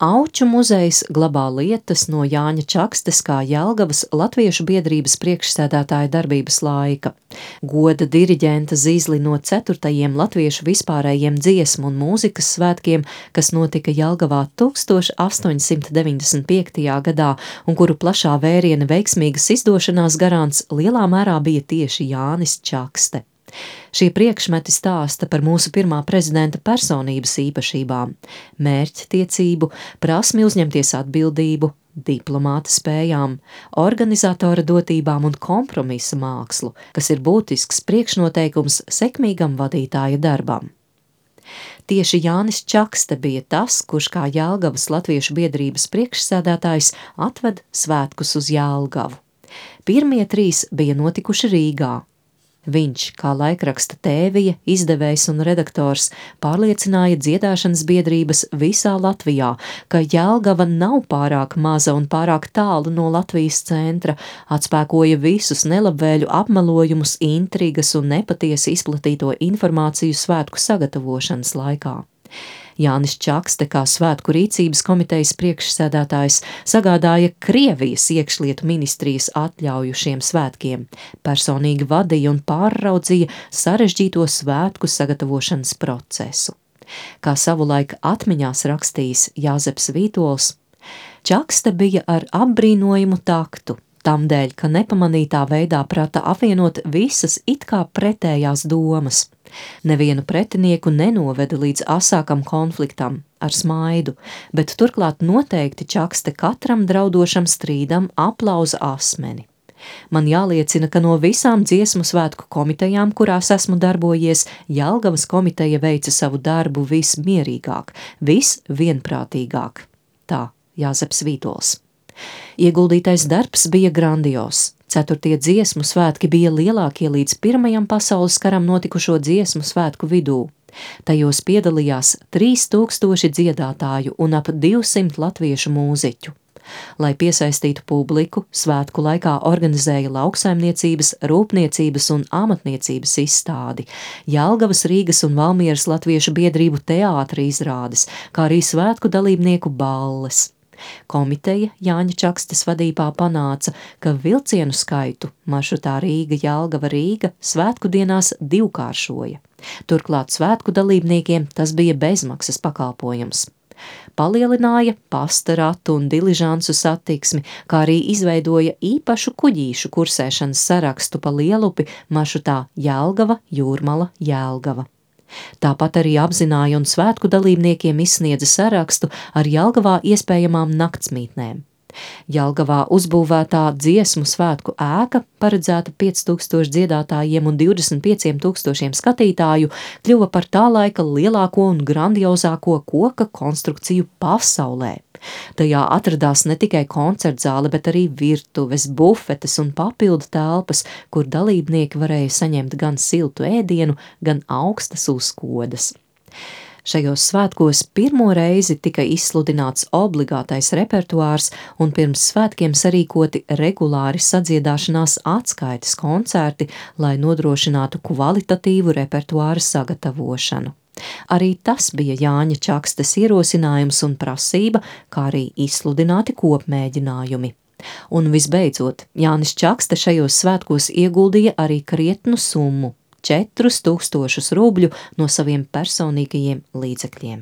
Auču muzejs glabā lietas no Jāņa Čakstes kā Jelgavas Latviešu biedrības priekšsēdētāja darbības laika. Goda diriģenta zīzli no 4. Latviešu vispārējiem dziesmu un mūzikas svētkiem, kas notika Jelgavā 1895. gadā un kuru plašā vēriena veiksmīgas izdošanās garants lielā mērā bija tieši Jānis Čakste. Šie priekšmeti stāsta par mūsu pirmā prezidenta personības īpašībām – mērķtiecību, prasmi uzņemties atbildību, diplomāta spējām, organizatora dotībām un kompromisa mākslu, kas ir būtisks priekšnoteikums sekmīgam vadītāja darbam. Tieši Jānis Čakste bija tas, kurš kā Jelgavas Latviešu biedrības priekšsēdētājs atved svētkus uz Jelgavu. Pirmie 3 bija notikuši Rīgā. Viņš, kā laikraksta Tēvija, izdevējs un redaktors, pārliecināja dziedāšanas biedrības visā Latvijā, ka Jelgava nav pārāk maza un pārāk tālu no Latvijas centra, atspēkoja visus nelabvēļu apmelojumus, intrigas un nepatiesi izplatīto informāciju svētku sagatavošanas laikā. Jānis Čakste, kā svētku rīcības komitejas priekšsēdētājs, sagādāja Krievijas iekšlietu ministrijas atļauju šiem svētkiem, personīgi vadīja un pārraudzīja sarežģīto svētku sagatavošanas procesu. Kā savulaik atmiņās rakstījis Jāzeps Vītols, Čakste bija ar apbrīnojumu taktu, tamdēļ, ka nepamanītā veidā prata apvienot visas it kā pretējās domas. Nevienu pretinieku nenoveda līdz asākam konfliktam ar smaidu, bet turklāt noteikti Čakste katram draudošam strīdam aplauza asmeni. Man jāliecina, ka no visām dziesmu svētku komitejām, kurās esmu darbojies, Jelgavas komiteja veica savu darbu vismierīgāk, visvienprātīgāk. Tā Jāzeps Vītols. Ieguldītais darbs bija grandios. 4. dziesmu svētki bija lielākie līdz 1. pasaules karam notikušo dziesmu svētku vidū. Tajos piedalījās 3000 dziedātāju un ap 200 latviešu mūziķu. Lai piesaistītu publiku, svētku laikā organizēja lauksaimniecības, rūpniecības un amatniecības izstādi, Jelgavas, Rīgas un Valmieras latviešu biedrību teātra izrādes, kā arī svētku dalībnieku balles. Komiteja Jāņa Čakstes vadībā panāca, ka vilcienu skaitu maršrutā Rīga-Jelgava-Rīga svētku dienās 2-kāršoja. Turklāt svētku dalībniekiem tas bija bezmaksas pakalpojums. Palielināja pasta ratu un diližansu satiksmi, kā arī izveidoja īpašu kuģīšu kursēšanas sarakstu pa Lielupi maršrutā Jelgava-Jūrmala-Jelgava. Tāpat arī apzināja un svētku dalībniekiem izsniedza sarakstu ar Jelgavā iespējamām naktsmītnēm. Jelgavā uzbūvētā dziesmu svētku ēka, paredzēta 5000 dziedātājiem un 25 000 skatītāju, kļuva par tā laika lielāko un grandiozāko koka konstrukciju pasaulē. Tajā atradās ne tikai koncertzāle, bet arī virtuves, bufetes un papildu telpas, kur dalībnieki varēja saņemt gan siltu ēdienu, gan augstas uzkodas. Šajos svētkos pirmo reizi tika izsludināts obligātais repertuārs un pirms svētkiem sarīkoti regulāri sadziedāšanās atskaites koncerti, lai nodrošinātu kvalitatīvu repertuāra sagatavošanu. Arī tas bija Jāņa Čakstes ierosinājums un prasība, kā arī izsludināti kopmēģinājumi. Un visbeidzot, Jānis Čakste šajos svētkos ieguldīja arī krietnu summu – 4000 rubļu no saviem personīgajiem līdzekļiem.